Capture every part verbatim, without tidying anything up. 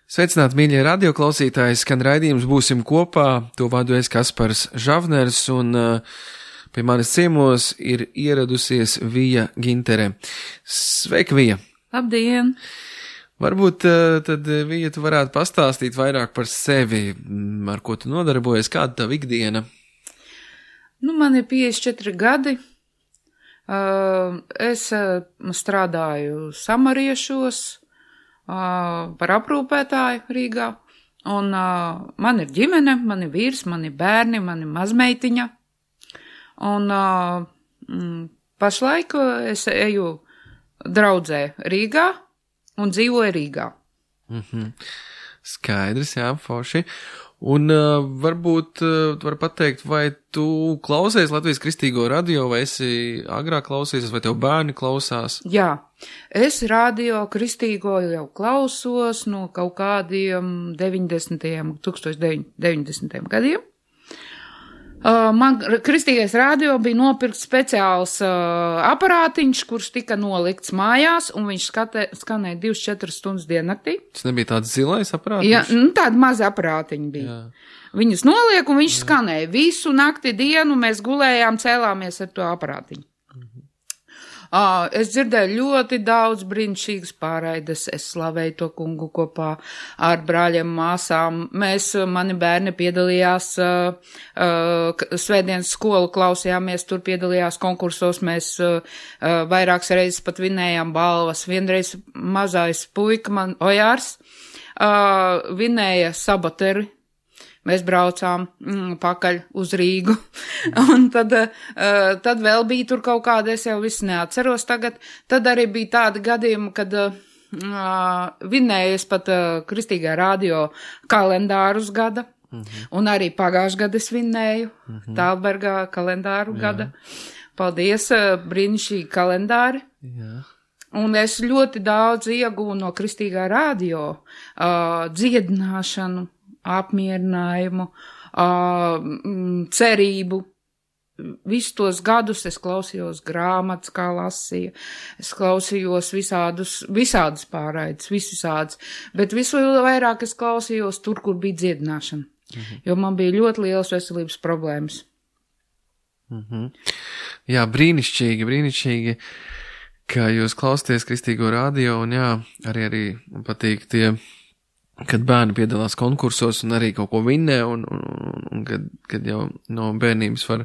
Sveicināti, mīļie radioklausītāji, skan raidījums Būsim kopā, to vadu es Kaspars Žavners, un uh, pie manis ciemos ir ieradusies Vija Gintere. Sveika, Vija! Labdien! Varbūt uh, tad, Vija, tu varētu pastāstīt vairāk par sevi, ar ko tu nodarbojies, kāda tavu ikdiena? Nu, man ir piecdesmit četri gadi. Uh, es uh, strādāju Samariešos, Uh, par aprūpētāju Rīgā, un uh, man ir ģimene, man ir vīrs, man ir bērni, man ir mazmeitiņa, un uh, mm, pašlaik es eju draudzē Rīgā un dzīvoju Rīgā. Mm-hmm. Skaidrs, jā, forši. Un uh, varbūt uh, tu vari pateikt, vai tu klausies Latvijas Kristīgo radio, vai esi agrāk klausies, vai tev bērni klausās? Jā, es radio Kristīgo jau klausos no kaut kādiem deviņdesmitajiem, deviņdesmitajiem gadiem. Uh, man Kristīgais radio bija nopirkt speciāls uh, aparātiņš, kurš tika nolikts mājās, un viņš skatē, skanēja divas četras stundas diennaktī. Tas nebija tāds zilais aparātiņš? Jā, nu, tāda maza aparātiņa bija. Jā. Viņus noliek, un viņš Jā. Skanēja visu nakti dienu, mēs gulējām, cēlāmies ar to aparātiņu. Uh, es dzirdēju ļoti daudz brīnišķīgas pārraides, es slavēju to kungu kopā ar brāļiem, māsām. Mēs, mani bērni piedalījās uh, uh, svētdienas skolu, klausījāmies, tur piedalījās konkursos, mēs uh, uh, vairākas reizes pat vinējām balvas. Vienreiz mazais puika, man Ojārs, uh, vinēja sabateri. Mēs braucām mm, pakaļ uz Rīgu, un tad, uh, tad vēl bija tur kaut kāda, es jau visu neatceros tagad, tad arī bija tādi gadījumi, kad uh, vinējies pat uh, Kristīgā radio kalendārus gada, mm-hmm. un arī pagājušajā gadu es vinēju mm-hmm. Tālbergā kalendāru Jā. Gada. Paldies, uh, brīnišķīgi kalendāri. Jā. Un es ļoti daudz ieguvu no Kristīgā radio, uh, dziedināšanu, apmierinājumu, uh, cerību. Visus tos gadus es klausījos grāmatas, kā lasīja, es klausījos visādus, visādas pārraides, visādas, bet visu vairāk es klausījos tur, kur bija dziedināšana, mm-hmm. jo man bija ļoti lielas veselības problēmas. Mm-hmm. Jā, brīnišķīgi, brīnišķīgi, ka jūs klausāties Kristīgo radio, un jā, arī, arī man patīk tie, kad bērni piedalās konkursos un arī kaut ko vinnē, un, un, un, un kad, kad jau no bērnības var,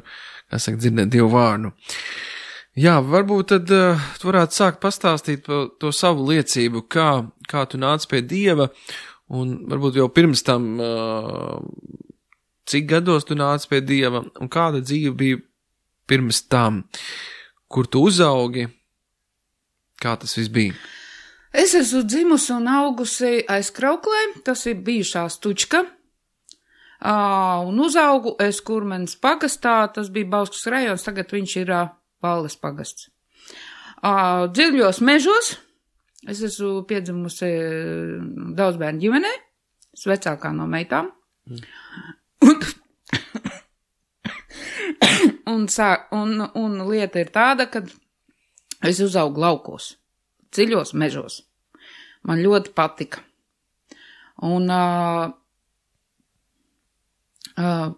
kā saka, dzirdēt Dievu vārdu. Jā, varbūt tad uh, tu varētu sākt pastāstīt par to savu liecību, kā, kā tu nāc pie Dieva, un varbūt jau pirms tam, uh, cik gados tu nāc pie Dieva, un kāda dzīve bija pirms tam, kur tu uzaugi, kā tas viss bija? Es esmu dzimusi un augusi aiz Krauklē, tas ir bijušā Stučka, uh, un uzaugu es Kurmenes pagastā, tas bija Bauskas rajons, tagad viņš ir uh, Valles pagasts. Uh, dziļos mežos, es esmu piedzimusi daudzbērnu ģimenē, es vecākā no meitām, mm. un, un, sā, un, un lieta ir tāda, ka es uzaugu laukos. Dziļos mežos. Man ļoti patika. Un uh, uh,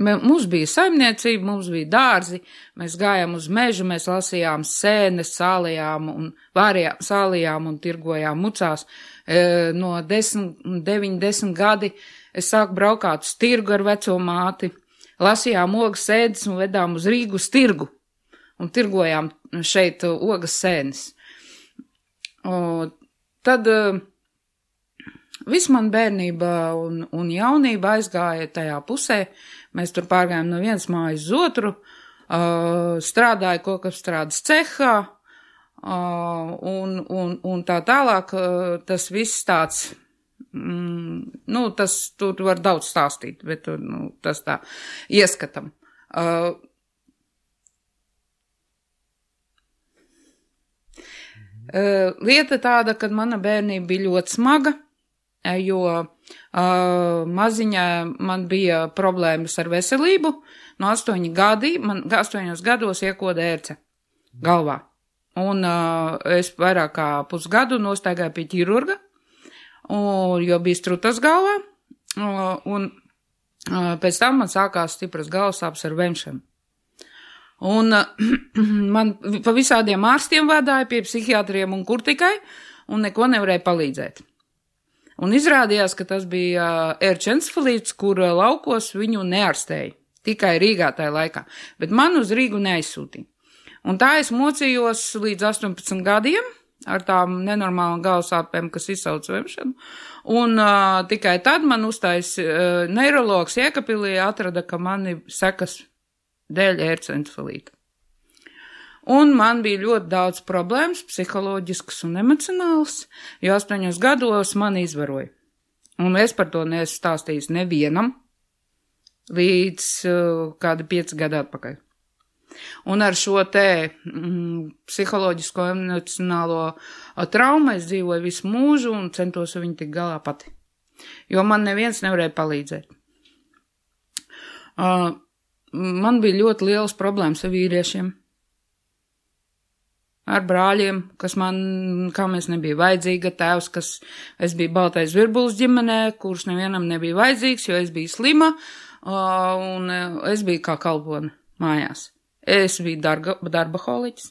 mums bija saimniecība, mums bija dārzi, mēs gājām uz mežu, mēs lasījām sēnes, sālījām un vārījām, sālījām un tirgojām mucās. E, no desmit, deviņi, desmit gadi es sāku braukāt uz tirgu ar veco māti, lasījām ogas sēdes un vedām uz Rīgu uz tirgu un tirgojām šeit ogas sēnes. O, tad uh, viss man bērnība un, un jaunība aizgāja tajā pusē. Mēs tur pārgājām no vienas mājas uz otru, uh, strādāju kokapstrādes cehā uh, un, un, un tā tālāk. Uh, tas viss tāds, mm, nu, tas tur var daudz stāstīt, bet nu, tas tā ieskatam. Uh, Uh, lieta tāda, ka mana bērnība bija ļoti smaga, jo uh, maziņā man bija problēmas ar veselību. No astoņi gadi, man astoņos gados iekoda ērce galvā. Un uh, es vairāk kā pusgadu nostaigāju pie ķirurga, un, jo bija strutas galvā, un pēc tam man sākās stipras galvasāpes ar vemšanu. Un man pa visādiem ārstiem vadāja pie psihiatriem un kur tikai, un neko nevarēja palīdzēt. Un izrādījās, ka tas bija ērčencefalīts, kur laukos viņu neārstēja. Tikai Rīgā tajā laikā. Bet man uz Rīgu neaizsūtīja. Un tā es mocījos līdz astoņpadsmit gadiem ar tām nenormālām galvasāpēm, kas izsauc vemšanu. Un uh, tikai tad man uztais uh, neirologs Jēkabpilī atrada, ka mani sekas dēļ ērčencefalīta. Un man bija ļoti daudz problēmas, psiholoģiskas un emocionālas, jo astoņos gados mani izvaroja. Un es par to neesmu stāstījis nevienam līdz uh, kādi pieci gadi atpakaļ. Un ar šo te mm, psiholoģisko emocionālo traumu es dzīvoju visu mūžu un centos viņu tik galā pati. Jo man neviens nevarēja palīdzēt. Uh, man bija ļoti lielas problēmas ar vīriešiem. Ar brāļiem, kas man, kā mēs nebija vajadzīga, tēvs, kas es biju baltais virbulis ģimenē, kurš nevienam nebija vajadzīgs, jo es biju slima, un es biju kā kalpone mājās. Es biju darga, darbaholiķis,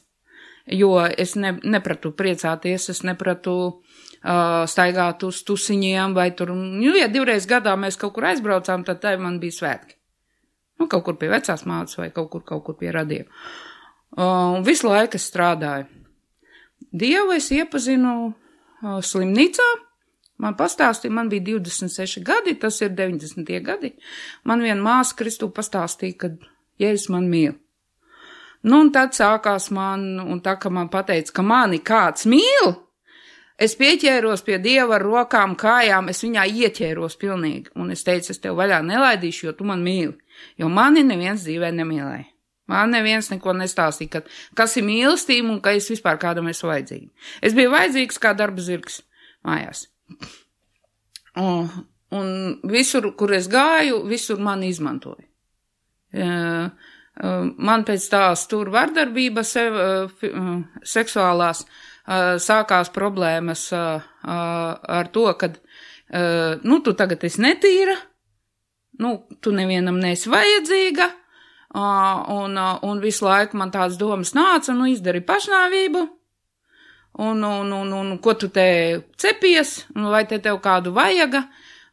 jo es ne, nepratu priecāties, es nepratu uh, staigāt uz tusiņiem, vai tur, nu, ja divreiz gadā mēs kaut kur aizbraucām, tad tā man bija svētki. Nu, kaut kur pie vecās mātes vai kaut kur, kaut kur pie radiem. Un uh, visu laiku es strādāju. Dievu es iepazinu uh, slimnīcā, man pastāstīja, man bija divdesmit seši gadi, tas ir deviņdesmitie gadi. Man viena māsa Kristū pastāstīja, ka Jēzus man mīl. Nu, un tad sākās man, un tā, ka man pateica, ka mani kāds mīl, es pieķēros pie Dieva ar rokām, kājām, es viņā ieķēros pilnīgi. Un es teicu, es tev vaļā nelaidīšu, jo tu man mīli. Jo mani neviens dzīvē nemīlēja. Man neviens neko nestāstīja, ka, kas ir mīlestība un ka es vispār kādam esmu vajadzīga. Es biju vajadzīgs kā darba zirgs mājās. Un, un visur, kur es gāju, visur mani izmantoja. Man pēc tās tur vardarbības seksuālās sākās problēmas ar to, ka, nu, tu tagad esi netīra, nu, tu nevienam neesi vajadzīga, un, un visu laiku man tādas domas nāca, nu, izdari pašnāvību, un, un, un, un ko tu te cepies, vai te tev kādu vajaga,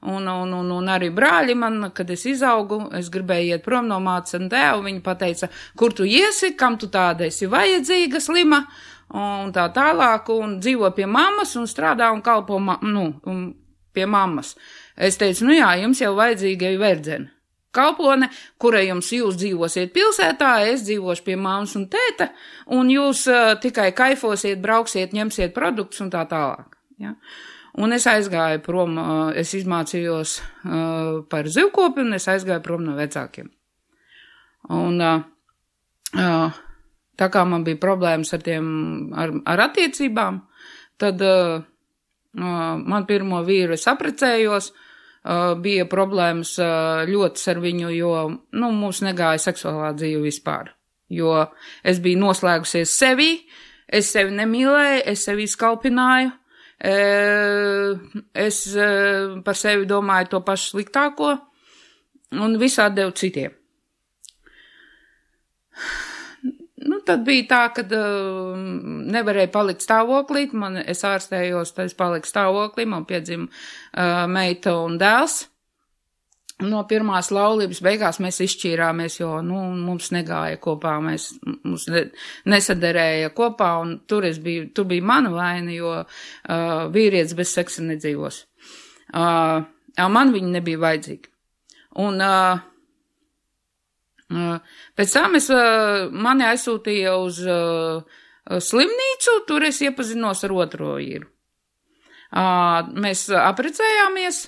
un, un, un, un arī brāļi man, kad es izaugu, es gribēju iet prom no mātes un tēvu, viņi pateica, kur tu iesi, kam tu tāda esi vajadzīga, slima, un tā tālāk, un dzīvo pie mammas, un strādā un kalpo, ma nu, un pie mammas. Es teicu, nu jā, jums jau vajadzīga ir verdzene. Kalpone, kura jums jūs dzīvosiet pilsētā, es dzīvošu pie mammas un tēta, un jūs uh, tikai kaifosiet, brauksiet, ņemsiet produktus un tā tālāk. Ja? Un es aizgāju prom, uh, es izmācījos uh, par zivkopi, un es aizgāju prom no vecākiem. Un uh, uh, tā kā man bija problēmas ar tiem, ar, ar attiecībām, tad uh, uh, man pirmo vīru es aprecējos, Uh, bija problēmas uh, ļoti ar viņu, jo, nu, mums negāja seksuālā dzīve vispār, jo es biju noslēgusies sevī, es sevi nemīlēju, es sevi skalpināju, e, es e, par sevi domāju to pašu sliktāko un visādi devu citiem. Nu, tad bija tā, ka uh, nevarēja palikt stāvoklī, man es ārstējos, tad es paliku stāvoklī, man piedzima uh, meita un dēls. No pirmās laulības beigās mēs izšķīrāmies, jo, nu, mums negāja kopā, mēs, mums ne, nesaderēja kopā, un tur es biju, tur bija mana vaina, jo uh, vīrietis bez seksa nedzīvos. Uh, man viņi nebija vajadzīgi. Un, uh, Pēc tam es, mani aizsūtīja uz uh, slimnīcu, tur es iepazinos ar otro vīru. Uh, mēs aprecējāmies,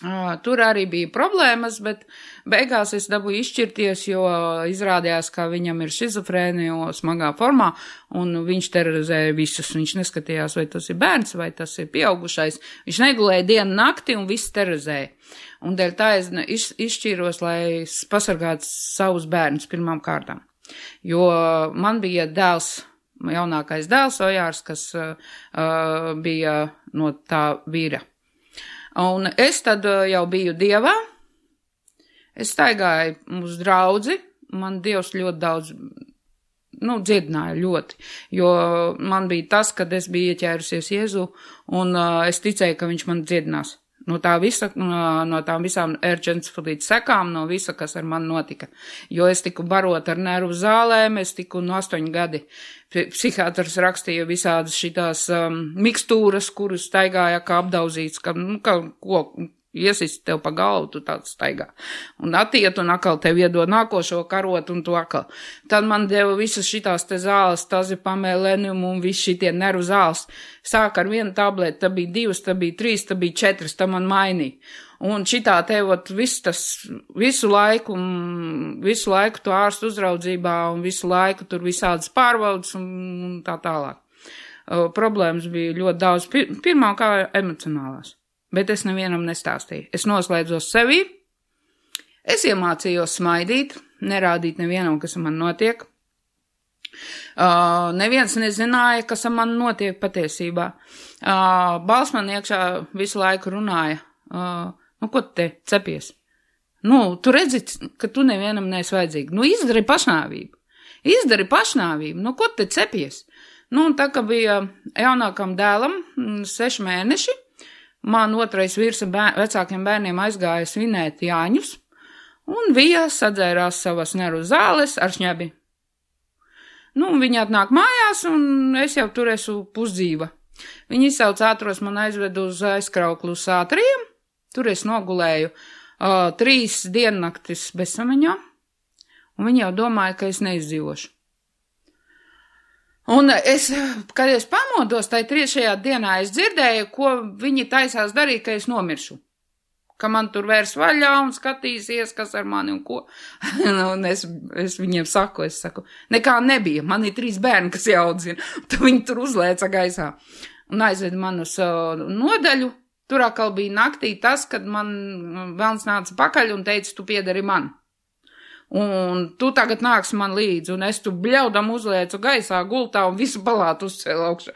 uh, tur arī bija problēmas, bet beigās es dabūju izšķirties, jo izrādījās, ka viņam ir šizofrēnija smagā formā, un viņš terorizēja visus. Viņš neskatījās, vai tas ir bērns, vai tas ir pieaugušais. Viņš negulēja dienu nakti un viss terorizēja. Un dēļ tā es iz, izšķīros, lai pasargātu savus bērnus pirmām kārtām. Jo man bija dēls jaunākais dēls Ojārs, kas uh, bija no tā vīra. Un es tad jau biju Dievā, es staigāju uz draudzi, man Dievs ļoti daudz, nu, dziedināja ļoti, jo man bija tas, kad es biju ieķērusies Jēzu, un uh, es ticēju, ka viņš man dziedinās. No tā visa, no tām visām ērģencefalītas sekām, no visa, kas ar mani notika. Jo es tiku barot ar nervu zālēm, es tiku no astoņi gadi. Psihiatrs rakstīja visādas šitās um, mikstūras, kuras staigāja kā apdauzīts, ka, nu, ka ko iesist tev pa galvu, tu tāds staigā. Un attiet, un atkal tev iedod nākošo karot, un tu atkal. Tad man deva visas šitās te zāles, tazipamēlenium un visi šitie nervu zāles. Sāk ar vienu tableti, tā bija divas, tā bija trīs, tā bija četras, tā man mainīja. Un šitā tevot visu tas, visu laiku, visu laiku tu ārstu uzraudzībā, un visu laiku tur visādas pārbaudas, un, un tā tālāk. Uh, problēmas bija ļoti daudz, Pir, pirmā kā emocionālās. Bet es nevienam nestāstīju. Es noslēdzos sevī, es iemācījos smaidīt, nerādīt nevienam, kas man notiek. Uh, neviens nezināja, kas man notiek patiesībā. Uh, Balss man iekšā visu laiku runāja, uh, nu, ko te cepies? Nu, tu redzi, ka tu nevienam neesi vajadzīgi. Nu, izdari pašnāvību. Izdari pašnāvību. Nu, ko te cepies? Nu, un tā, ka bija jaunākam dēlam seši mēneši, man otrais vīrs bēr, vecākiem bērniem aizgāja svinēt Jāņus, un Vija sadzērās savas nervu zāles ar šņabi. Nu, viņi atnāk mājās, un es jau tur esmu pusdzīva. Viņi izsauc ātros, man aizved uz aizkrauklu sātriem, tur es nogulēju uh, trīs diennaktis bezsamaņā, un viņi jau domāja, ka es neizdzīvošu. Un es, kad es pamodos, tai trešajā dienā es dzirdēju, ko viņi taisās darīt, ka es nomiršu. Ka man tur vērs vaļā un skatīsies, kas ar mani un ko. Un es, es viņiem saku, es saku, nekā nebija, man ir trīs bērni, kas jāaudzina. Tad viņi tur uzlēca gaisā un aizved man uz uh, nodaļu. Tur atkal bija naktī tas, kad man velns nāca pakaļ un teica, tu piedari man. Un tu tagad nāks man līdzi, un es tu bļaudam uzliecu gaisā gultā un visu palātu uzcēlu augšu.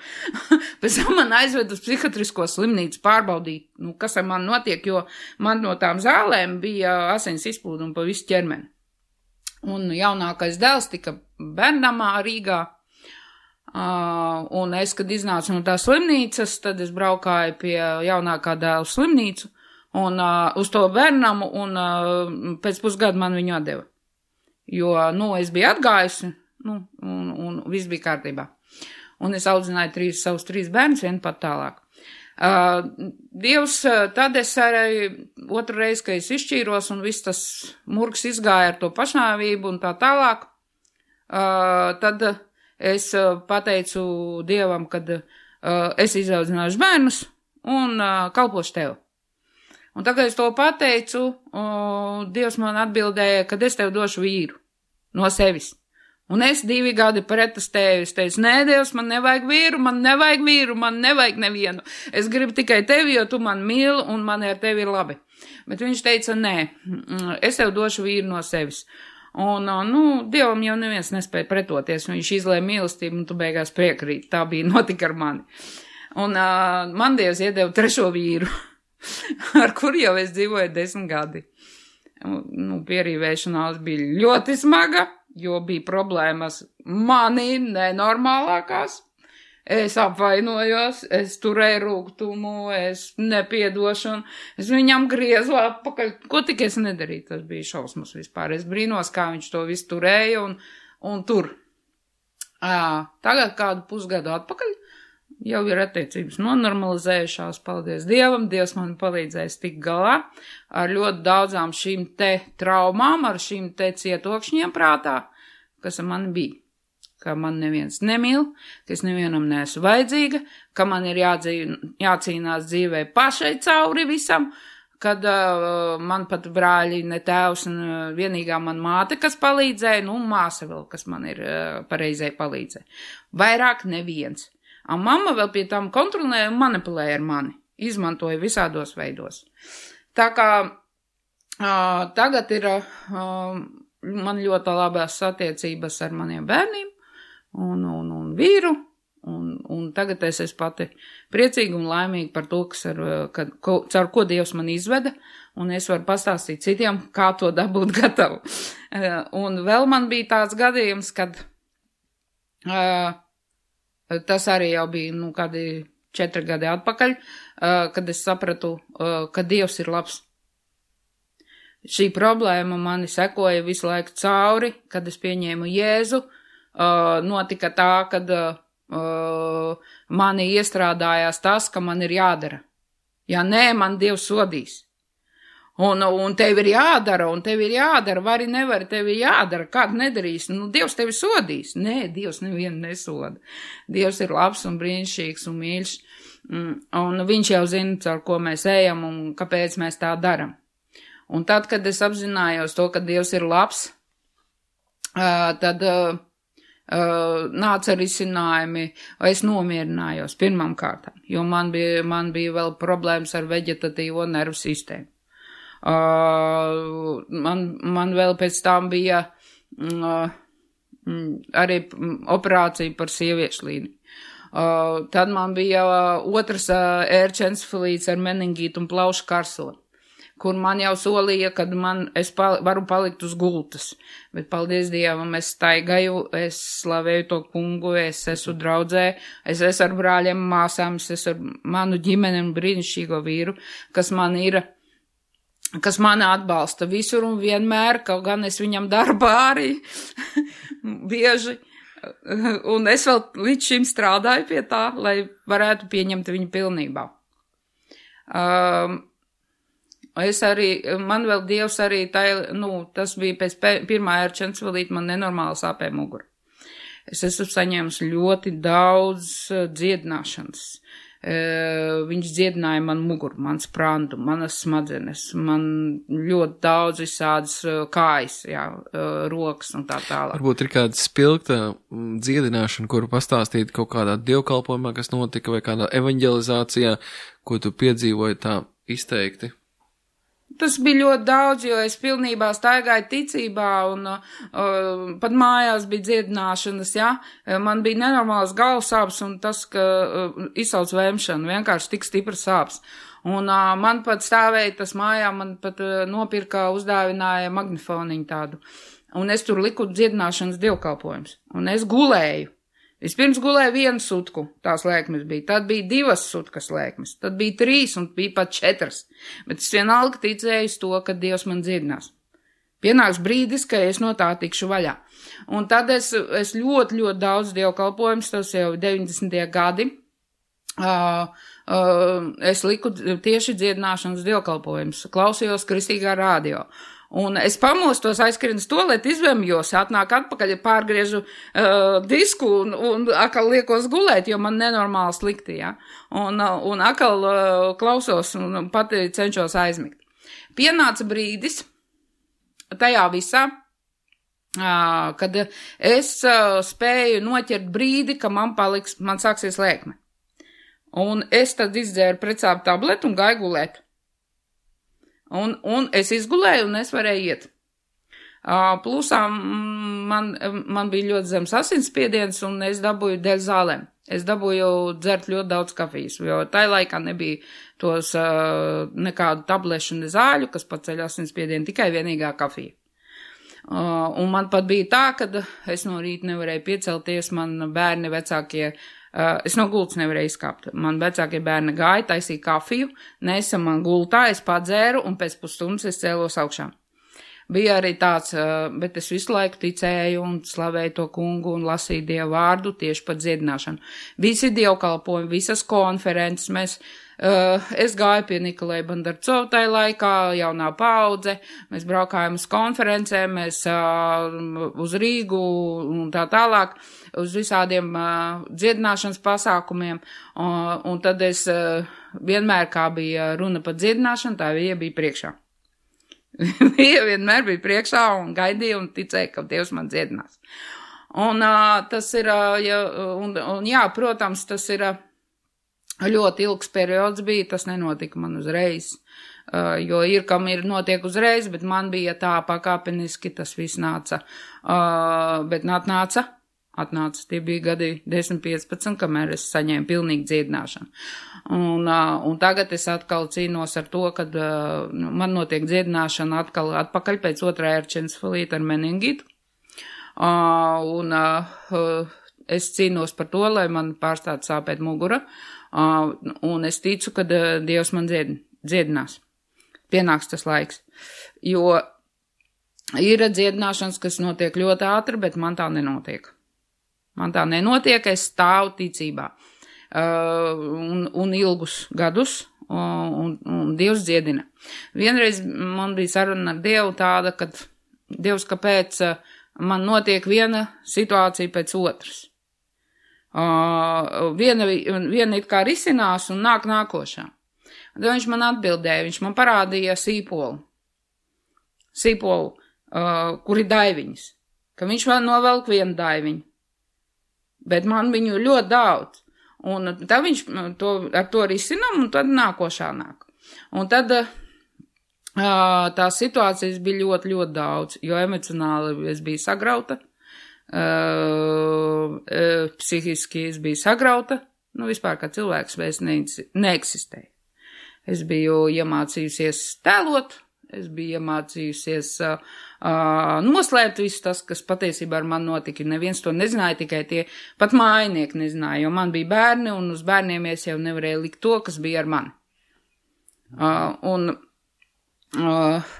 Pēc tam man aizved uz psihiatrisko slimnīcu pārbaudīt, nu, kas ar mani notiek, jo man no tām zālēm bija asins izplūdumi pa visu ķermeni. Un jaunākais dēls tika bērnamā Rīgā, uh, un es, kad iznācu no tās slimnīcas, tad es braukāju pie jaunākā dēla slimnīcu, un uh, uz to bērnamu, un uh, pēc pusgada man viņu atdeva. Jo, nu, es biju atgājusi, nu, un, un viss bija kārtībā. Un es audzināju trīs, savus trīs bērnus, vienu pat tālāk. Uh, Dievs, tad es arī otru reizi, ka es izšķīros, un viss tas murgs izgāja ar to pašnāvību un tā tālāk, uh, tad es pateicu Dievam, kad uh, es izaudzināšu bērnus un uh, kalpošu tev. Un tagad es to pateicu, o, Dievs man atbildēja, kad es tev došu vīru no sevis. Un es divi gadi pretestēju, es teicu, nē, Dievs, man nevajag vīru, man nevajag vīru, man nevajag nevienu. Es gribu tikai tevi, jo tu man mīli un man ar tevi ir labi. Bet viņš teica, nē, es tev došu vīru no sevis. Un, nu, Dievam jau neviens nespēja pretoties, viņš izlēja mīlestību un tu beigās priekrīt. Tā bija notika ar mani. Un uh, man Dievs iedeva trešo vīru. Ar kuru jau es dzīvoju desmit gadi. Nu, pierīvēšanās bija ļoti smaga, jo bija problēmas mani nenormālākās. Es apvainojos, es turēju rūgtumu, es nepiedošanu, es viņam griezu atpakaļ. Ko tik es nedarīju, tas bija šausmas vispār. Es brīnos, kā viņš to visu turēja un, un tur. À, tagad kādu pusgadu atpakaļ. Jau ir attiecības nonormalizējušās, paldies Dievam, Dievs man palīdzēs tik galā ar ļoti daudzām šīm te traumām, ar šīm te cietokšņiem prātā, kas ar mani bija. Ka man neviens nemīl, ka es nevienam neesmu vajadzīga, ka man ir jādzīv, jācīnās dzīvē pašai cauri visam, kad uh, man pat brāļi ne tēvs un uh, vienīgā man māte, kas palīdzēja, nu māsa vēl, kas man ir uh, pareizai palīdzēja. Vairāk neviens. Un mamma vēl pie tam kontrolēja un manipulēja ar mani. Izmantoja visādos veidos. Tā kā uh, tagad ir uh, man ļoti labās attiecības ar maniem bērniem. Un, un, un vīru, un, un tagad es esmu pati priecīga un laimīga par to, kas ar, ka, ko, caur ko Dievs man izveda, un es varu pastāstīt citiem, kā to dabūt gatavu. Un vēl man bija tāds gadījums, kad uh, tas arī jau bija, nu, kādi četri gadi atpakaļ, uh, kad es sapratu, uh, ka Dievs ir labs. Šī problēma mani sekoja visu laiku cauri, kad es pieņēmu Jēzu, uh, notika tā, kad uh, mani iestrādājās tas, ka man ir jādara. Ja nē, man Dievs sodīs. Un, un tev ir jādara, un tev ir jādara, vari nevari, tev ir jādara, kādu nedarīs, nu, Dievs tevi sodīs. Nē, Dievs nevienu nesoda. Dievs ir labs un brīnišķīgs un mīļš, un viņš jau zina, caur ko mēs ejam un kāpēc mēs tā daram. Un tad, kad es apzinājos to, ka Dievs ir labs, tad nāca risinājumi, es nomierinājos pirmām kārtām, jo man bija, man bija vēl problēmas ar veģetatīvo nervu sistēmu. Man, man vēl pēc tam bija arī operācija par sieviešu līniju. Tad man bija otrs ērčencefalīts ar meningītu un plaušu karsoni, kur man jau solīja, kad man, es pal, varu palikt uz gultas. Bet, paldies Dievam, es staigāju, es slavēju to kungu, es esmu draudzē, es esmu ar brāļiem, māsām, es esmu ar manu ģimeni un brīnišķīgo vīru, kas man ir, kas mani atbalsta visur un vienmēr, kaut gan es viņam daru pāri, bieži. Un es vēl līdz šim strādāju pie tā, lai varētu pieņemt viņu pilnībā. Um, Es arī, man vēl Dievs arī, tā, nu, tas bija pēc pirmā ērčencefalīta, man nenormāli sāpēja mugura. Es esmu saņēmis ļoti daudz dziedināšanas. Viņš dziedināja man muguru, man sprandu, manas smadzenes, man ļoti daudz visādas kājas, jā, rokas un tā tālāk. Varbūt ir kāda spilgta dziedināšana, kuru pastāstīt kaut kādā dievkalpojumā, kas notika, vai kādā evaņģelizācijā, ko tu piedzīvoji tā izteikti? Tas bija ļoti daudz, jo es pilnībā staigāju ticībā un uh, pat mājās bija dziedināšanas, jā. Man bija nenormāls galvas sāpes un tas, ka uh, izsauc vēmšanu, vienkārši tik stipras sāpes. Un uh, man pat stāvēja tas mājā, man pat uh, nopirka, uzdāvināja magnifoniņu tādu. Un es tur liku dziedināšanas dievkalpojumus. Un es gulēju. Vispirms gulēju vienu sutku, tās lēkmes bija, tad bija divas sutkas lēkmes, tad bija trīs un bija pat četras, bet es vienalga ticēju uz to, ka Dievs man dziedinās. Pienāks brīdis, ka es no tā tikšu vaļā. Un tad es, es ļoti, ļoti daudz dievkalpojums, tas jau deviņdesmitie gadi, uh, uh, es liku tieši dziedināšanas dievkalpojumus, klausījos Kristīgā radio. Un es pamostos, aizskrienu uz toaleti, izvēmjos, atnāk atpakaļ, pārgriežu uh, disku un, un akal liekos gulēt, jo man nenormāli slikti, ja. Un, un akal uh, klausos un pati cenšos aizmigt. Pienāca brīdis tajā visā, uh, kad es uh, spēju noķert brīdi, ka man paliks, man sāksies lēkme. Un es tad izdzēru precāpu tabletu un gāju gulēt. Un, un es izgulēju, un es varēju iet. Uh, plusā man, man bija ļoti zems asinsspiediens, un es dabūju dēļ zālēm. Es dabūju dzert ļoti daudz kafijas, jo tajā laikā nebija tos uh, nekādu tablešu ne zāļu, kas paceļ asinsspiedienu, tikai vienīgā kafija. Uh, un man pat bija tā, ka es no rīta nevarēju piecelties, man bērni vecākie. Uh, es no gultas nevarēju izkāpt. Man vecākie bērni gāja, taisīja kafiju, nesa man gultā, es padzēru un pēc pusstundas es cēlos augšā. Bija arī tāds, uh, bet es visu laiku ticēju un slavēju to kungu un lasīju Dievu vārdu tieši par dziedināšanu. Visi dievkalpojumi, visas konferences, mēs, uh, es gāju pie Nikolai Bandarcovu tajā laikā, jaunā paudze, mēs braukājām uz konferencēm, mēs uh, uz Rīgu un tā tālāk, uz visādiem uh, dziedināšanas pasākumiem, uh, un tad es uh, vienmēr, kā bija runa par dziedināšanu, tā viņa bija priekšā. Viņa vienmēr bija priekšā un gaidīja un ticēja, ka Dievs man dziedinās. Un uh, tas ir, uh, ja, un, un jā, protams, tas ir uh, ļoti ilgs periods bija, tas nenotika man uzreiz, uh, jo ir, kam ir notiek uzreiz, bet man bija tā pakāpeniski, tas viss nāca, uh, bet nāca atnāca. Tie bija gadi desmit piecpadsmit, kamēr es saņēmu pilnīgi dziedināšanu. Un, un tagad es atkal cīnos ar to, kad nu, man notiek dziedināšana atkal atpakaļ pēc otrā erčencefalīta ar meningitu. Un es cīnos par to, lai man pārstātu sāpēt mugura. Un es ticu, ka Dievs man dzied, dziedinās. Pienāks tas laiks. Jo ir dziedināšanas, kas notiek ļoti ātri, bet man tā nenotiek. Man tā nenotiek, es stāvu ticībā. Uh, un, un ilgus gadus, un, un, un Dievs dziedina. Vienreiz man bija saruna ar Dievu tāda, kad Dievs, kāpēc man notiek viena situācija pēc otras. Uh, viena, viena it kā risinās un nāk nākošā. Tad viņš man atbildēja, viņš man parādīja sīpolu. Sīpolu, uh, kur ir daiviņas. Ka viņš vēl novelk vienu daiviņu. Bet man viņu ļoti daudz. Un tad viņš to, ar to risinām, un tad nākošā nāk. Un tad uh, tās situācijas bija ļoti, ļoti daudz, jo emocionāli es biju sagrauta, uh, uh, psihiski es biju sagrauta, nu vispār kā cilvēks vairs neeksistēja. Es biju iemācījusies tēlot, es biju iemācījusies uh, uh, noslēpt visu tas, kas patiesībā ar mani notika. Neviens to nezināja, tikai tie pat mājinieki nezināja, jo man bija bērni, un uz bērniem es jau nevarēju likt to, kas bija ar mani. Uh, un uh,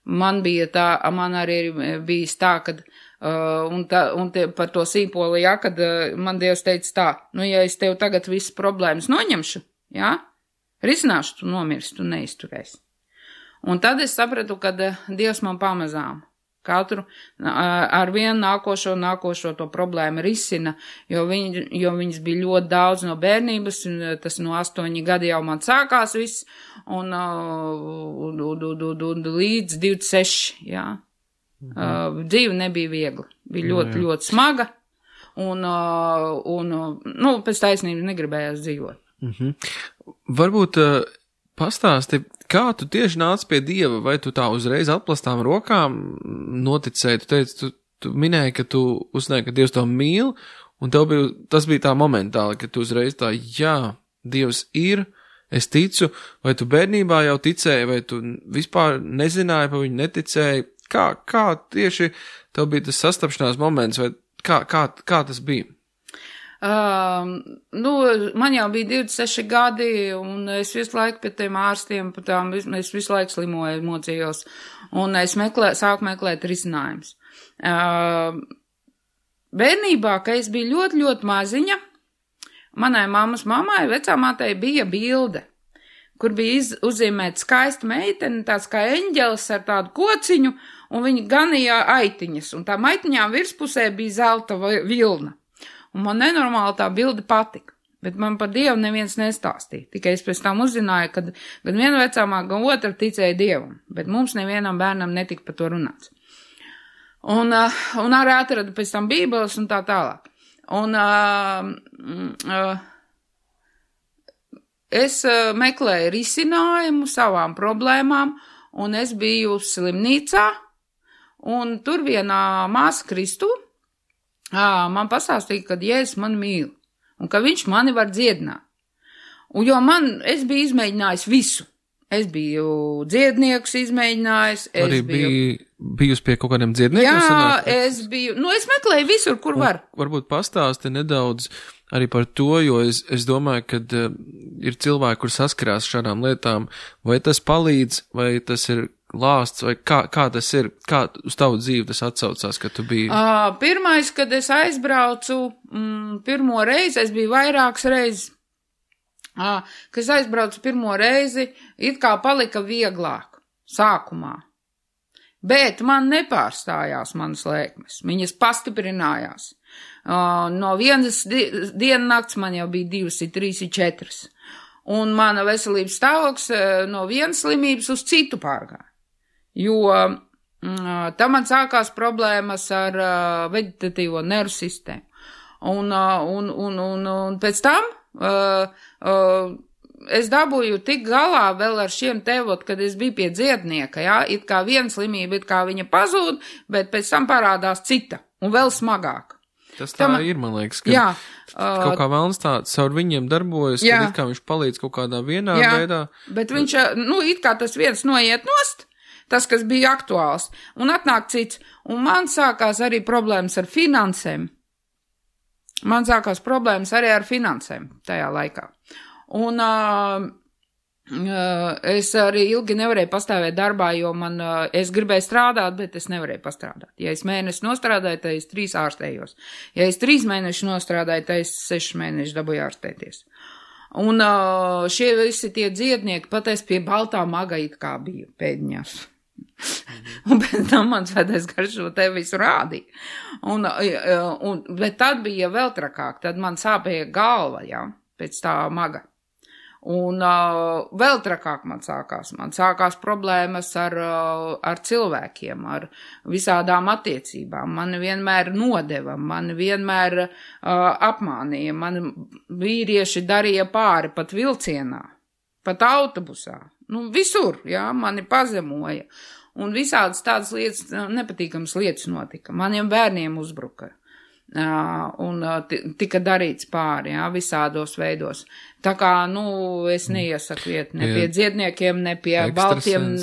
man bija tā, man arī ir bijis tā, kad, uh, un, tā, un tie, par to sīpoli, jā, kad uh, man Dievs teica tā, nu, ja es tev tagad visas problēmas noņemšu, jā, risināšu, tu nomirsti, tu neizturēsi. Un tad es sapratu, ka Dievs man pamazām katru ar vienu nākošo, nākošo to problēmu risina, jo, viņ, jo viņas bija ļoti daudz no bērnības, tas no astoņi gadi jau man sākās viss, un, un, un, un, un, un līdz divdesmit seši, jā. Mhm. Uh, dzīve nebija viegla, bija ļoti, jā, jā. ļoti smaga, un, un, nu, pēc taisnības negribējās dzīvot. Mhm. Varbūt uh, pastāsti, kā tu tieši nāc pie Dieva, vai tu tā uzreiz atplastām rokām noticēji, tu teici, tu, tu minēji, ka tu uzzināji, ka Dievs to mīl, un tev bija, tas bija tā momentāli, ka tu uzreiz tā, jā, Dievs ir, es ticu, vai tu bērnībā jau ticēji, vai tu vispār nezināji, pa viņu neticēji, kā, kā tieši tev bija tas sastapšanās moments, vai kā, kā, kā tas bija? Uh, nu, man jau bija divdesmit seši gadi, un es visu laiku pie tiem ārstiem, pat tām, es visu laiku slimoju, mocījos, un es meklē, sāku meklēt risinājumus. Uh, bērnībā, kad es biju ļoti, ļoti maziņa, manai mammas mammai, vecāmātei bija bilde, kur bija iz, uzzīmēta skaista meitene, tāds kā eņģelis ar tādu kociņu, un viņi ganīja aitiņas, un tā aitiņām virspusē bija zelta vilna. Un man nenormāli tā bilde patika, bet man par Dievu neviens nestāstīja. Tikai es pēc tam uzzināju, ka gan viena vecāmā, gan otra ticēja Dievam, bet mums nevienam bērnam netika par to runāts. Un, uh, un arī atradu pēc tam bībeles un tā tālāk. Un uh, uh, es uh, meklēju risinājumu savām problēmām, un es biju slimnīcā, un tur vienā māsa Kristu À, man pastāstīja, ka Jēzus mani mīl, un ka viņš mani var dziedināt. Un jo man, es biju izmēģinājis visu. Es biju dziednieks izmēģinājis. Es arī biju bijusi pie kaut kādiem dziedniekiem? Jā, sanāk? es biju, nu es meklēju visur, kur un var. Varbūt pastāsti nedaudz arī par to, jo es, es domāju, ka uh, ir cilvēki, kur saskarās šādām lietām, vai tas palīdz, vai tas ir lāsts, vai kā, kā tas ir, kā uz tavu dzīvi tas atsaucās, ka tu biji? Uh, pirmais, kad es aizbraucu, mm, pirmo reizi, es biju vairākas reizes, uh, kad es aizbraucu pirmo reizi, it kā palika vieglāk sākumā. Bet man nepārstājās manas lēkmes, viņas pastiprinājās. Uh, no vienas di diena nakts man jau bija divas, trīs, četras. Un mana veselības stāvoklis uh, no vienas slimības uz citu pārgāja. Jo mm, tam man sākās problēmas ar uh, vegetatīvo nervu sistēmu. Un, uh, un, un, un, un pēc tam uh, uh, es dabūju tik galā vēl ar šiem tevot, kad es biju pie dziednieka, jā, it kā viena slimība, it kā viņa pazūd, bet pēc tam parādās cita un vēl smagāka. Tas tā Tam, ir, man liekas, ka jā, uh, kaut kā vēlns tā caur viņiem darbojas, jā. Kad it kā viņš palīdz kaut kādā vienā jā, veidā. Bet viņš, nu, it kā tas viens noiet nost, tas, kas bija aktuāls, un atnāk cits, un man sākās arī problēmas ar finansēm. Man sākās problēmas arī ar finansēm tajā laikā. Un uh, uh, es arī ilgi nevarēju pastāvēt darbā, jo man, uh, es gribēju strādāt, bet es nevarēju pastrādāt. Ja es mēnesi nostrādāju, tad es trīs ārstējos. Ja es trīs mēnešus nostrādāju, tad es sešas mēnešus dabūju ārstēties. Un uh, šie visi tie dziednieki, pat es pie baltā maga it kā biju pēdiņās. Un pēc tam man svētais garš šo te visu rādīja. Un, un, bet tad bija vēl trakāk, tad man sāpēja galva, jā, pēc tā maga. Un uh, vēl trakāk man sākās. Man sākās problēmas ar, uh, ar cilvēkiem, ar visādām attiecībām. Man vienmēr nodeva, man vienmēr uh, apmānīja, man vīrieši darīja pāri pat vilcienā, pat autobusā. Nu, visur, jā, mani pazemoja. Un visādas tādas lietas, nepatīkamas lietas notika. Maniem bērniem uzbruka. Uh, un uh, tika darīts pāri, jā, visādos veidos. Tā kā, nu, es neiesaku iet ne pie dziedniekiem, ne pie baltiem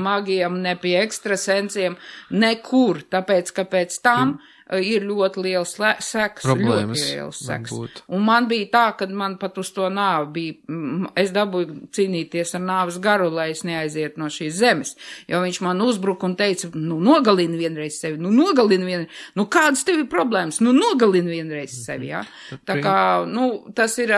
magiem, ne pie ekstrasensiem, nekur, tāpēc, ka pēc tam ir ļoti liels seks, problēmas, ļoti liels seks. Un man bija tā, kad man pat uz to nāvi bija, es dabūju cīnīties ar nāves garu, lai es neaiziet no šīs zemes, jo viņš man uzbruka un teica, nu nogalini vienreiz sevi, nu nogalini vienreiz, nu kādas tev ir problēmas, nu nogalini vienreiz sevi, jā. Tā kā, nu, tas ir,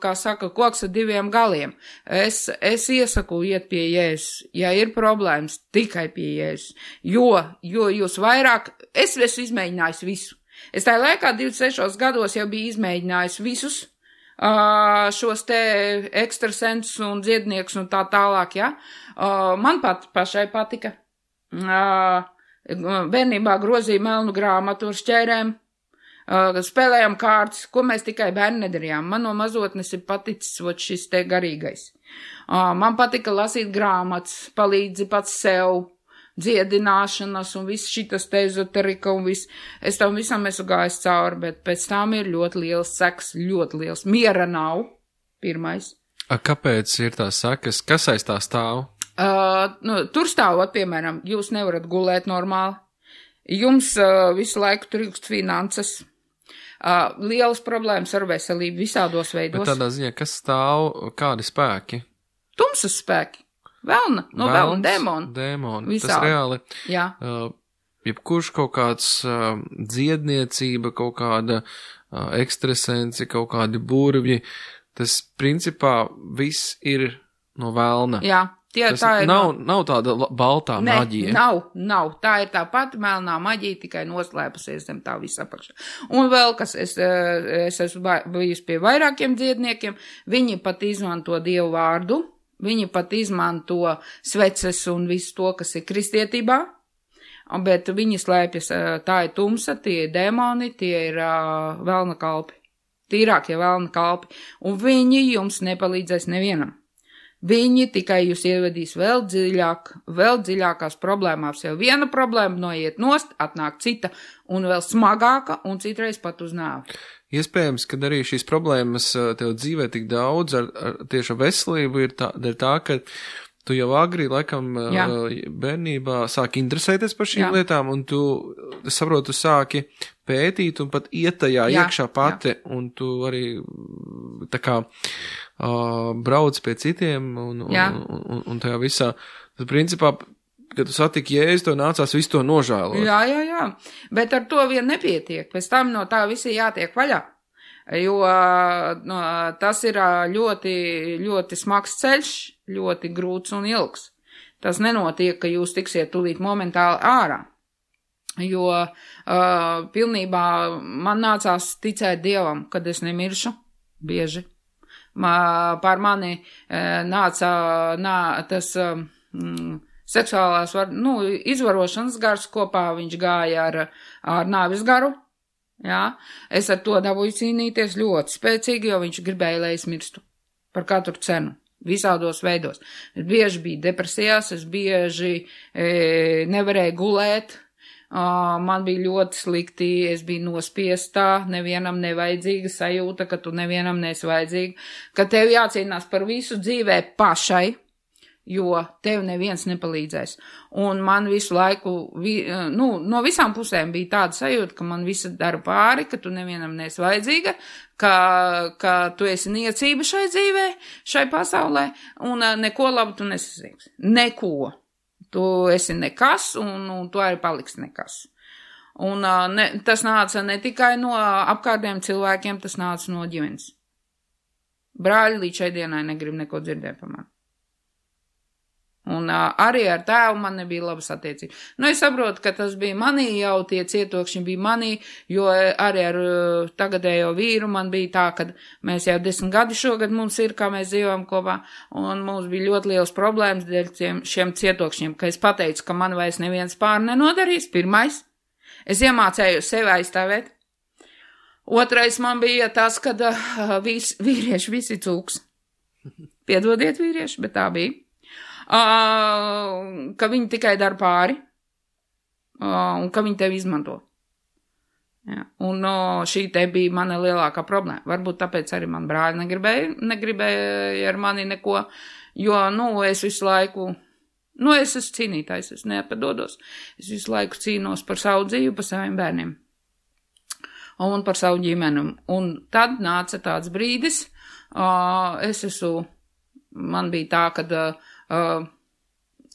kā saka, koks ar diviem galiem. Es, es iesaku iet pie Jēzus, ja ir problēmas, tikai pie Jēzus, jo, jo jūs vairāk, es esmu izmēģinājis visu. Es tajā laikā divdesmit sešos gados jau biju izmēģinājis visus uh, šos te ekstrasensus un dziedniekus un tā tālāk, ja. Uh, man pat pašai patika. Uh, bērnībā grozīja melnu grāmatu ar šķērēm, uh, spēlējām kārtas, ko mēs tikai bērni nedarījām. Man no mazotnes ir paticis vot šis te garīgais. Uh, man patika lasīt grāmatas, palīdzi pats sev, dziedināšanas un viss šitas te ezoterika un viss. Es tam visam esmu gājis cauri, bet pēc tam ir ļoti liels seks, ļoti liels. Miera nav, pirmais. A, kāpēc ir tās sekas? Kas aiz tā stāv? Uh, nu, tur stāvot, piemēram, jūs nevarat gulēt normāli. Jums uh, visu laiku trūkst finanses. Uh, lielas problēmas ar veselību visādos veidos. Bet tādā ziņā, kas stāv, kādi spēki? Tumsas spēki. Velna, no velna, dēmoni. Dēmoni, tas reāli. Jā. Uh, jebkurš kaut kāds uh, dziedniecība, kaut kāda uh, ekstrasensi, kaut kādi burvji, tas principā viss ir no velna. Jā, tie tas tā ir. Nav, no... nav tāda baltā ne, maģija. Nav, nav. Tā ir tā pati melnā maģija, tikai noslēpusies zem tā visa apakšā. Un vēl, kas es, es esmu bijusi pie vairākiem dziedniekiem, viņi pat izmanto Dievu vārdu. Viņi pat izmanto sveces un visu to, kas ir kristietībā, bet viņi slēpjas, tā ir tumsa, tie ir dēmoni, tie ir uh, velna kalpi, tīrākie velna kalpi, un viņi jums nepalīdzēs nevienam. Viņi tikai jūs ievedīs vēl dziļāk, vēl dziļākās problēmās, jau viena problēma noiet nost, atnāk cita, un vēl smagāka, un citreiz pat uz nāvi. Iespējams, ka arī šīs problēmas tev dzīvē tik daudz ar, ar tieši veselību ir tā, ir tā, ka tu jau agri, laikam, Jā. bērnībā sāki interesēties par šīm Jā. lietām, un tu, es saprotu, tu sāki pētīt un pat iet tajā Jā. iekšā pati, Jā. un tu arī tā kā uh, brauc pie citiem un, un, un, un, un tajā visā. Tad, principā, kad tu satiki Jēzu, to nācās visu to nožēlot. Jā, jā, jā. Bet ar to vien nepietiek. Pēc tam no tā visi jātiek vaļā. Jo no, tas ir ļoti, ļoti smags ceļš, ļoti grūts un ilgs. Tas nenotiek, ka jūs tiksiet tūlīt momentāli ārā. Jo uh, pilnībā man nācās ticēt Dievam, kad es nemiršu, bieži. Ma, pār mani uh, nāca nā, tas... Um, seksuālās, var, nu, izvarošanas gars kopā viņš gāja ar, ar nāvis garu, jā. Es ar to dabūju cīnīties ļoti spēcīgi, jo viņš gribēja, lai es mirstu par katru cenu, visādos veidos. Es bieži biju depresijās, es bieži e, nevarēju gulēt, Uh, man bija ļoti slikti, es biju nospiestā, nevienam nevajadzīga sajūta, ka tu nevienam neesi vajadzīga, ka tev jācīnās par visu dzīvē pašai, jo tev neviens nepalīdzēs. Un man visu laiku, vi, nu, no visām pusēm bija tāda sajūta, ka man visa dara pāri, ka tu nevienam neesi vajadzīga, ka, ka tu esi niecība šai dzīvē, šai pasaulē, un uh, neko labu tu nesasniegsi. Neko. Tu esi nekas, un, un tu arī paliksi nekas. Un uh, ne, tas nāca ne tikai no apkārtējiem cilvēkiem, tas nāca no ģimenes. Brāļi līdz šai dienai negrib neko dzirdēt par mani. Un uh, arī ar tēvu man nebija labas attiecības. Nu, es saprotu, ka tas bija manī, jau tie cietokšņi bija manī, jo arī ar uh, tagadējo vīru man bija tā, ka mēs jau desmit gadi šogad mums ir, kā mēs dzīvojam kopā, un mums bija ļoti liels problēmas dēļ tiem, šiem cietokšņiem, ka es pateicu, ka man vairs neviens pār nenodarīs, pirmais. Es iemācēju sevi aizstāvēt. Otrais man bija tas, ka uh, vis, vīrieši visi cūks. Piedodiet vīrieši, bet tā bija. Uh, ka viņi tikai dara pāri, uh, un ka viņi tevi izmanto. Ja. Un uh, šī te bija mana lielākā problēma. Varbūt tāpēc arī man brāļi negribēja, negribēja ar mani neko, jo, nu, es visu laiku, nu, es esmu cīnītājs, es nepadodos. Es visu laiku cīnos par savu dzīvi, par saviem bērniem un par savu ģimeni. Un tad nāca tāds brīdis, uh, es esmu, man bija tā, kad uh, Uh,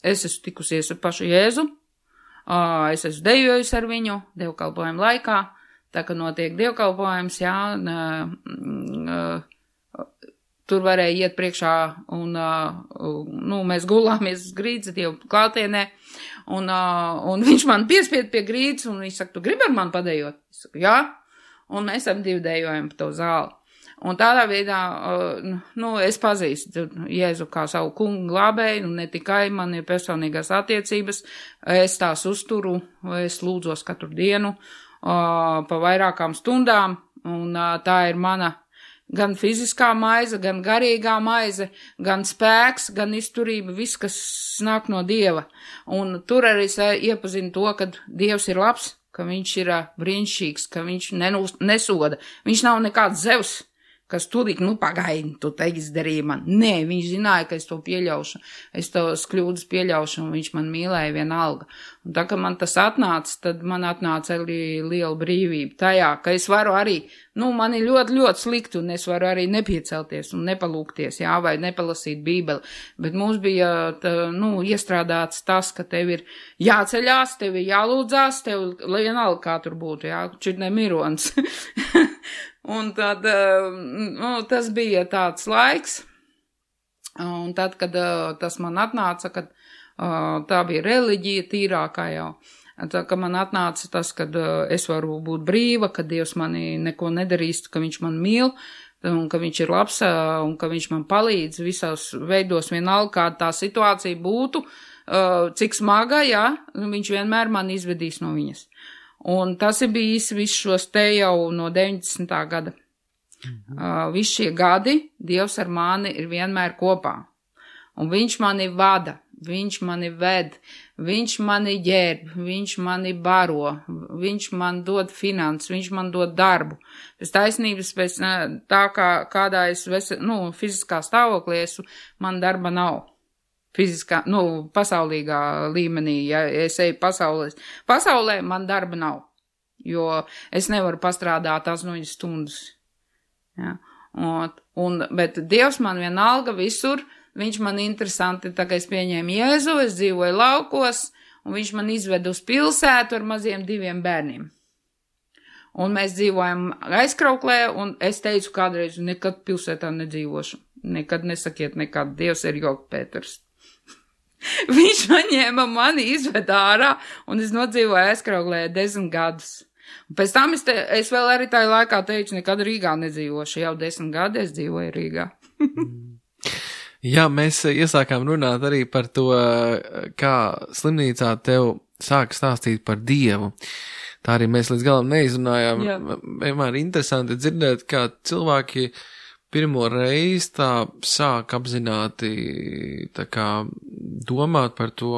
es esmu tikusies ar pašu Jēzu, uh, es esmu dejojusi ar viņu dievkalpojumu laikā, tā ka notiek dievkalpojums, jā, uh, uh, tur varēja iet priekšā un, uh, nu, mēs gulāmies grīdas dievu klātienē, un, uh, un viņš man piespied pie grīdas, un viņš saka, tu gribi ar mani padejot? Es saku, jā, un mēs ap divi dejojam pa to zāli. Un tādā veidā, nu, es pazīstu Jēzu kā savu kungu glābēju, un ne tikai man ir personīgās attiecības, es tās uzturu, es lūdzos katru dienu pa vairākām stundām, un tā ir mana gan fiziskā maize, gan garīgā maize, gan spēks, gan izturība, viss, kas nāk no Dieva. Un tur arī es iepazinu to, ka Dievs ir labs, ka viņš ir brīnišķīgs, ka viņš nenūs, nesoda, viņš nav nekāds Zevs, kas tūlīt, nu, pagaidi, tu te izdarīji man. Nē, viņš zināja, ka es to pieļaušu, es tos kļūdas pieļaušu, un viņš man mīlēja vienalga. Un tā, ka man tas atnāca, tad man atnāca arī liela brīvība tajā, ka es varu arī, nu, man ir ļoti, ļoti slikti, un es varu arī nepiecelties un nepalūkties, jā, vai nepalasīt bībeli. Bet mums bija, tā, nu, iestrādāts tas, ka tev ir jāceļās, tev ir jālūdzās, tev vienalga kā tur būtu, jā, čit ne mirons. Un tad, nu, tas bija tāds laiks, un tad, kad tas man atnāca, kad tā bija reliģija tīrākā jau, tā, ka man atnāca tas, kad es varu būt brīva, ka Dievs mani neko nedarīs, ka viņš man mīl, un ka viņš ir labs, un ka viņš man palīdz visos veidos vienalga, kāda tā situācija būtu, cik smaga, jā, viņš vienmēr man izvedīs no viņas. Un tas ir bijis viss šos te jau no deviņdesmitā gada. Mhm. Uh, visi šie gadi Dievs ar mani ir vienmēr kopā. Un viņš mani vada, viņš mani ved, viņš mani ģērb, viņš mani baro, viņš man dod finanses, viņš man dod darbu. Pēc taisnības, pēc tā kā kādā es vese, nu, fiziskā stāvoklī esmu, man darba nav. Fiziskā, nu, pasaulīgā līmenī, ja es eju pasaules, pasaulē man darba nav, jo es nevaru pastrādāt astoņas stundas. Ja? Un, un, bet Dievs man vienalga visur, viņš man interesanti, tā kā es pieņēmu Jēzu, es dzīvoju laukos, un viņš man izved uz pilsētu ar maziem diviem bērniem. Un mēs dzīvojam aizkrauklē, un es teicu kādreiz, nekad pilsētā nedzīvošu, nekad nesakiet nekad, Dievs ir Joga Pēters. Viņš paņēma mani, izved ārā, un es nodzīvoju aizkrauglē desmit gadus. Un pēc tam es, te, es vēl arī tajā laikā teicu, nekad Rīgā nedzīvošu, jau desmit gadi es dzīvoju Rīgā. Jā, mēs iesākām runāt arī par to, kā slimnīcā tev sāk stāstīt par Dievu. Tā arī mēs līdz galam neizrunājām. Jā. Vienmēr interesanti dzirdēt, kā cilvēki pirmo reizi tā sāk apzināti tā kā domāt par to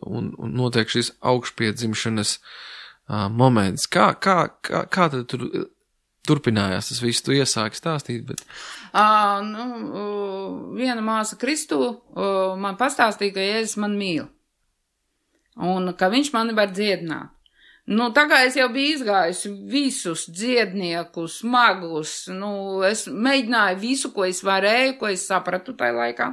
un, un notiek šis augšpiedzimšanas uh, moments. Kā, kā, kā, kā tad tur turpinājās tas viss? Tu iesāki stāstīt, bet... Uh, nu, uh, viena māsa Kristu uh, man pastāstīja, ka Jēzus man mīl. Un ka viņš mani var dziedināt. Nu, tā kā es jau biju izgājusi visus dziedniekus, magus, nu, es mēģināju visu, ko es varēju, ko es sapratu tajā laikā,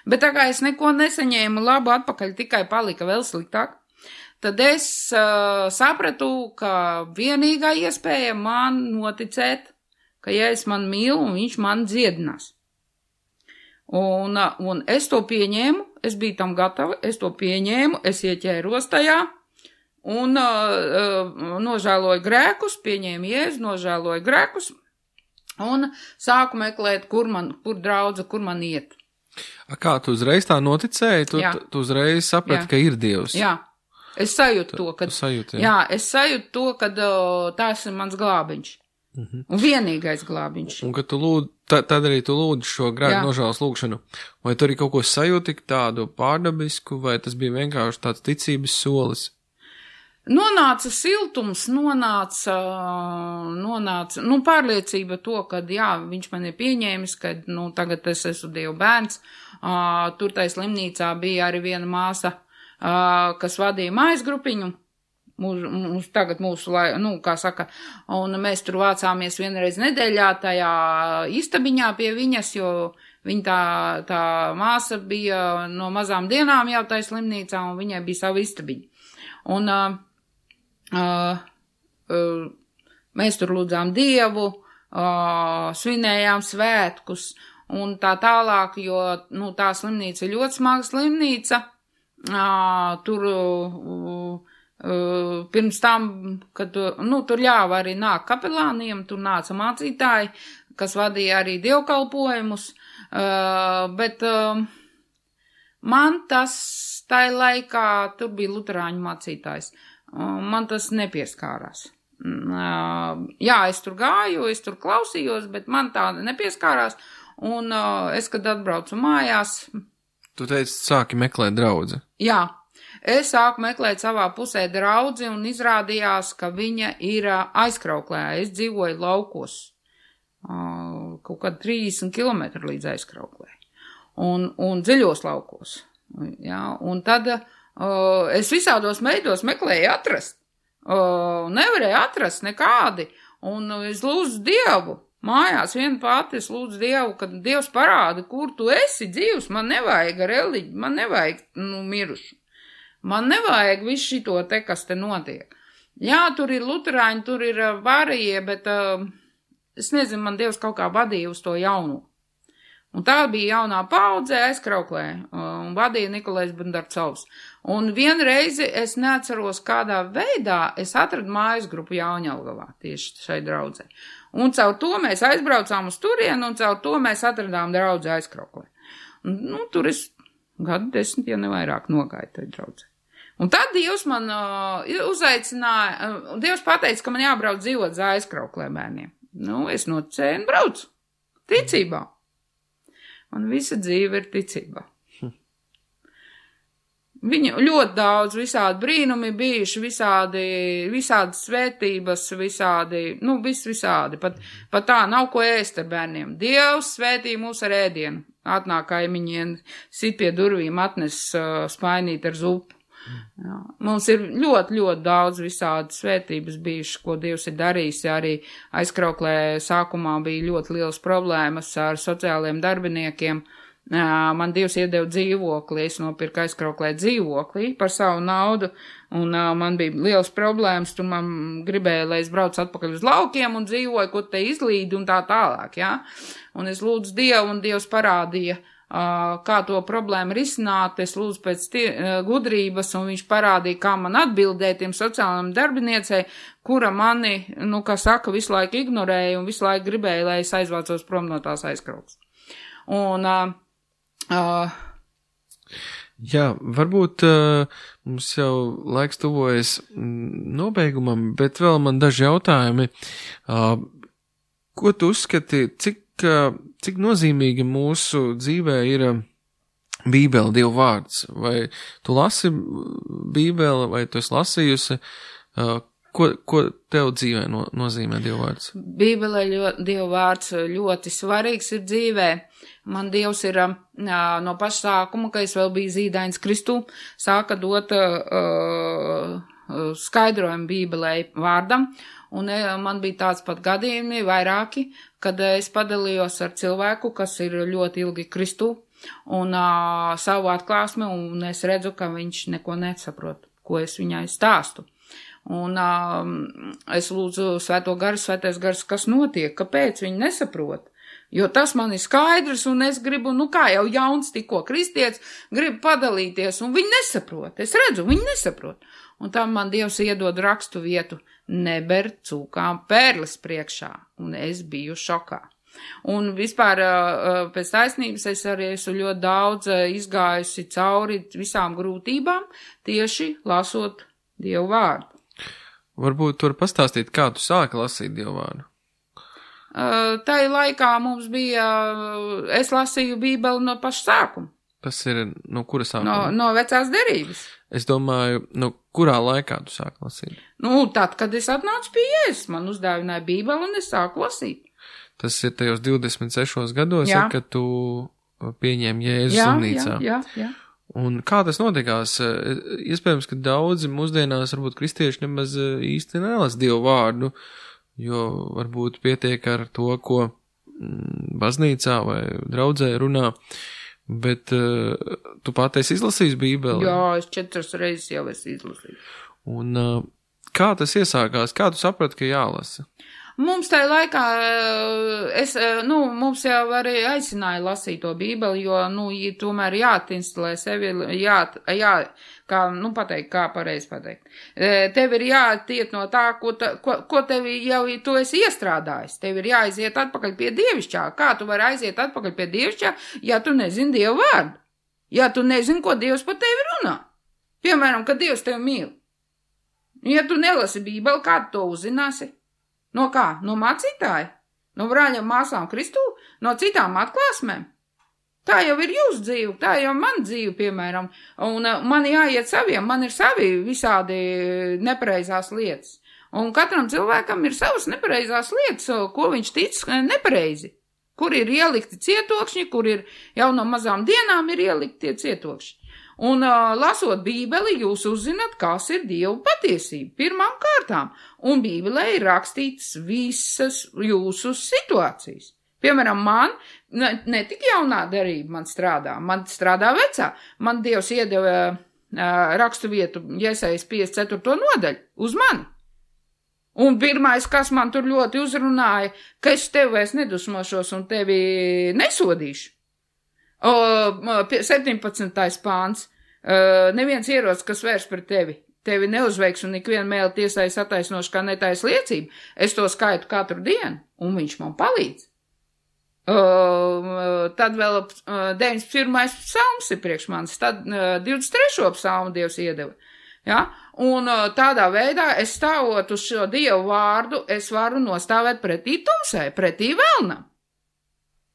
bet tā kā es neko nesaņēmu labu atpakaļ, tikai palika vēl sliktāk, tad es uh, sapratu, ka vienīgā iespēja man noticēt, ka ja es man mīlu un viņš man dziedinās. Un, un es to pieņēmu, es biju tam gatava, es to pieņēmu, es ieķēros tajā, un uh, nožēloju grēkus, pieņēmu Jēzu, nožēloju grēkus, un sāku meklēt, kur man, kur draudze, kur man iet. A kā, tu uzreiz tā noticēji? Tu, tu, tu uzreiz saprati, ka ir Dievs? Jā, es sajūtu to, kad, sajūti, jā. jā, es sajūtu to, kad uh, tās ir mans glābiņš. Mhm. Un vienīgais glābiņš. Un kad tu lūd, tad, tad arī tu lūdzi šo grēku nožēlas lūgšanu. Vai tu arī kaut ko sajūti tādu pārdabisku, vai tas bija vienkārši tāds ticības solis? Nonāca siltums, nonāca, nonāca, nu, pārliecība to, ka, jā, viņš man ir pieņēmis, ka, nu, tagad es esmu Dieva bērns. Uh, tur tai slimnīcā bija arī viena māsa, uh, kas vadīja mājas grupiņu. Mūs, mūs, tagad mūsu, lai, nu, kā saka, un mēs tur vācāmies vienreiz nedēļā tajā istabiņā pie viņas, jo viņa tā, tā māsa bija no mazām dienām jau tajā slimnīcā, un viņai bija savu istabiņu. Un uh, uh, uh, mēs tur lūdzām Dievu, uh, svinējām svētkus, un tā tālāk, jo, nu, tā slimnīca ir ļoti smaga slimnīca, uh, tur... Uh, Uh, pirms tam, kad, nu, tur ļāva arī nāk kapelāniem, tur nāca mācītāji, kas vadīja arī dievkalpojumus, uh, bet uh, man tas tai laikā, tur bija luterāņu mācītājs, uh, man tas nepieskārās. Uh, jā, es tur gāju, es tur klausījos, bet man tā nepieskārās, un uh, es, kad atbraucu mājās... Tu teici, sāki meklēt draudzi. Jā. Es sāku meklēt savā pusē draudzi un izrādījās, ka viņa ir aizkrauklē. Es dzīvoju laukos, kaut kādi trīsdesmit kilometri līdz aizkrauklē un, un dziļos laukos. Jā, un tad uh, es visādos veidos meklēju atrast. Uh, nevarēju atrast nekādi. Un es lūdzu Dievu. Mājās viena pati es lūdzu Dievu, kad Dievs parāda, kur tu esi dzīvs. Man nevajag reliģi, man nevajag nu, mirušu. Man nevajag visu šito te, kas te notiek. Jā, tur ir luterāņi, tur ir uh, varīgie, bet uh, es nezinu, man Dievs kaut kā vadīja uz to jauno. Un tā bija jaunā paudze aizkrauklē, uh, un vadīja Nikolais Bundarcovs. Un vienreizi es neatceros, kādā veidā es atradu mājas grupu Jaunjelgavā, tieši šai draudzē. Un caur to mēs aizbraucām uz turienu, un caur to mēs atradām draudzi aizkrauklē. Un, nu, tur es gadu desmit, ja nevairāk nogāju tai draudzē. Un tad Dievs man uh, uzaicināja, uh, Dievs pateica, ka man jābrauc dzīvot uz aizkrauklē bērniem. Nu, es noticēju un braucu. Ticībā. Man visa dzīve ir ticībā. Hm. Viņa ļoti daudz visādi brīnumi bijuši, visādi, visādi svētības, visādi, nu, viss visādi. Pat, pat tā nav ko ēst ar bērniem. Dievs svētīja mūs ar ēdienu. Atnāk kaimiņiem, sit pie durvīm, atnes uh, spainīt ar zupu. Jā. Mums ir ļoti, ļoti daudz visādi svētības bijušas, ko Dievs ir darījis. Arī aizkrauklē sākumā bija ļoti liels problēmas ar sociāliem darbiniekiem. Man Dievs iedeva dzīvokli, es nopirku aizkrauklē dzīvokli par savu naudu, un man bija liels problēmas, tur man gribēja, lai es braucu atpakaļ uz laukiem un dzīvoju, ko te izlīdi un tā tālāk, jā. Un es lūdzu Dievu, un Dievs parādīja, kā to problēmu risināt, es lūdzu pēc tie, gudrības, un viņš parādīja, kā man atbildēt tiem sociālajiem darbiniecei, kura mani, nu, kā saka, visu laiku ignorēja un visu laiku gribēja, lai es aizvācos prom no tās aizkrauks. Un, uh, uh, Jā, varbūt uh, mums jau laiks tuvojas nobeigumam, bet vēl man daži jautājumi. Uh, ko tu uzskati, cik Cik nozīmīgi mūsu dzīvē ir Bībele, Dieva vārds. Vai tu lasi Bībeli, vai tu esi lasījusi? Ko, ko tev dzīvē no, nozīmē Dieva vārds? Bībelē ļoti, Dieva vārds ļoti svarīgs ir dzīvē. Man Dievs ir uh, no paša sākuma, kad es vēl biju zīdains Kristū, sāka dot uh, skaidrojumu Bībelē vārdam, un uh, man bija tāds pat gadījumi, vairāki, kad uh, es padalījos ar cilvēku, kas ir ļoti ilgi Kristū, un uh, savu atklāsmi, un es redzu, ka viņš neko nesaprot, ko es viņai stāstu. Un um, es lūdzu Svēto garu, Svētais gars, kas notiek, kāpēc viņi nesaprot. Jo tas man ir skaidrs, un es gribu, nu kā jau jauns tikko kristietis, gribu padalīties, un viņi nesaprot. Es redzu, viņi nesaprot. Un tam man Dievs iedod rakstu vietu, neber cūkām pērles priekšā, un es biju šokā. Un vispār pēc taisnības es arī esmu ļoti daudz izgājusi cauri visām grūtībām, tieši lasot Dievu vārdu. Varbūt tu vari pastāstīt, kā tu sāki lasīt Dievu vārdu? Uh, tai laikā mums bija, uh, es lasīju Bībeli no paša sākuma. Tas ir no kura sākuma? No, no vecās derības. Es domāju, no kurā laikā tu sāki lasīt? Nu, tad, kad es atnācu pie Jēzus, man uzdāvināja Bībeli un es sāku lasīt. Tas ir tajos divdesmit sešos gados, ja, kad tu pieņēmi Jēzus jā, slimnīcā. Jā, jā, jā. Un kā tas notikās? Iespējams, ka daudzi mūsdienās varbūt kristieši nemaz īsti nelas Dievu vārdu, jo varbūt pietiek ar to, ko baznīcā vai draudzē runā, bet uh, tu pat esi izlasījis Bībeli? Jā, es četras reizes jau esi izlasījis. Un uh, kā tas iesākās? Kā tu saprati, ka jālasa? Mums tajā laikā, es, nu, mums jau arī aicināja lasīt to Bībeli, jo, nu, tomēr jāatinstalē sevi, jā, jā, kā, nu, pateikt, kā pareizi pateikt. Tev ir jātiet no tā, ko, ta, ko, ko tev jau tu esi iestrādājis. Tev ir jāaiziet atpakaļ pie dievišķā. Kā tu vari aiziet atpakaļ pie dievišķā, ja tu nezini Dievu vārdu? Ja tu nezini, ko Dievs par tevi runā? Piemēram, ka Dievs tevi mīl. Ja tu nelasi Bībeli, kā tu to uzzināsi? No kā? No mācītāja? No brāļiem māsām Kristū? No citām atklāsmēm? Tā jau ir jūsu dzīve, tā jau man dzīve, piemēram, un uh, man jāiet saviem, man ir savi visādi nepareizās lietas. Un katram cilvēkam ir savas nepareizās lietas, ko viņš tic nepareizi. Kur ir ielikti cietokšņi, kur ir jau no mazām dienām ir ielikti tie cietokšņi. Un uh, lasot Bībeli, jūs uzzināt, kas ir Dieva patiesība pirmām kārtām. Un Bībelē ir rakstīts visas jūsu situācijas. Piemēram, man, ne, ne tik jaunā derība man strādā, man strādā vecā. Man Dievs iedeva uh, rakstu vietu Jesajas piecdesmit ceturto nodaļu uz mani. Un pirmais, kas man tur ļoti uzrunāja, ka es tevi vairs nedusmošos un tevi nesodīšu. O, septiņpadsmitais pāns. Uh, neviens ierocis, kas vērs par tevi, tevi neuzveiks un ikvienu mēli tiesais attaisnoši kā netais liecība. Es to skaitu katru dienu, un viņš man palīdz. Uh, tad vēl uh, deviņdesmit pirmais psalms ir priekš manis, tad uh, divdesmit trešo psalmu Dievs iedeva. Ja? Un uh, tādā veidā es stāvot uz šo Dievu vārdu, es varu nostāvēt pretī tumsai, pretī vēlnam.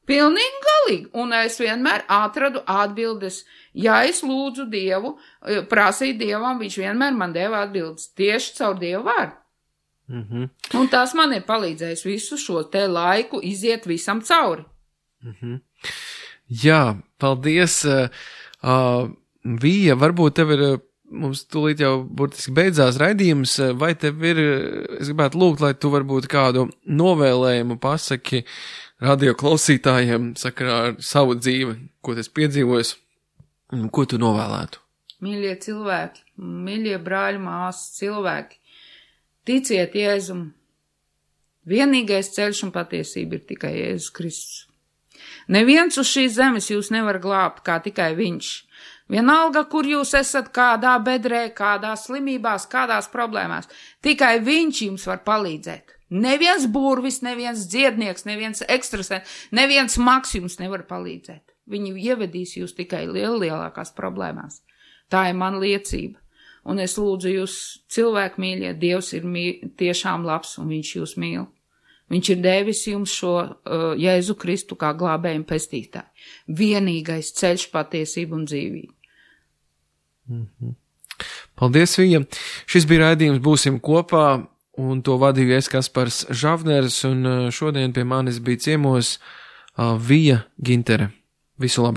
Pilnīgi galīgi, un es vienmēr atradu atbildes. Ja es lūdzu Dievu, prasīju Dievam, viņš vienmēr man deva atbildes tieši caur Dievu vārdu. Mm-hmm. Un tas man ir palīdzējis visu šo te laiku iziet visam cauri. Mm-hmm. Jā, paldies. Uh, Vija, varbūt tev ir, mums tūlīt jau burtiski beidzās raidījums, vai tev ir, es gribētu lūgt, lai tu varbūt kādu novēlējumu pasaki radio klausītājiem sakarā ar savu dzīvi, ko tas piedzīvojis, un ko tu novēlētu? Mīļie cilvēki, mīļie brāļi, māsas, cilvēki, ticiet Jēzum. Vienīgais ceļš un patiesība ir tikai Jēzus Kristus. Neviens uz šīs zemes jūs nevar glābt, kā tikai viņš. Vienalga, kur jūs esat, kādā bedrē, kādās slimībās, kādās problēmās, tikai viņš jums var palīdzēt. Neviens burvis, neviens dziednieks, neviens ekstrasens, neviens maks jums nevar palīdzēt. Viņi ievedīs jūs tikai liel, lielākās problēmās. Tā ir man liecība. Un es lūdzu jūs, cilvēku mīļie, Dievs ir mī, tiešām labs un viņš jūs mīl. Viņš ir devis jums šo uh, Jēzu Kristu kā glābējumu pestītāju. Vienīgais ceļš, patiesība un dzīvība. Mm-hmm. Paldies, Vija. Šis bija raidījums Būsim kopā, un to vadīju es Kaspars Žavners, un šodien pie manis bija ciemos uh, Vija Gintere. Visu labu!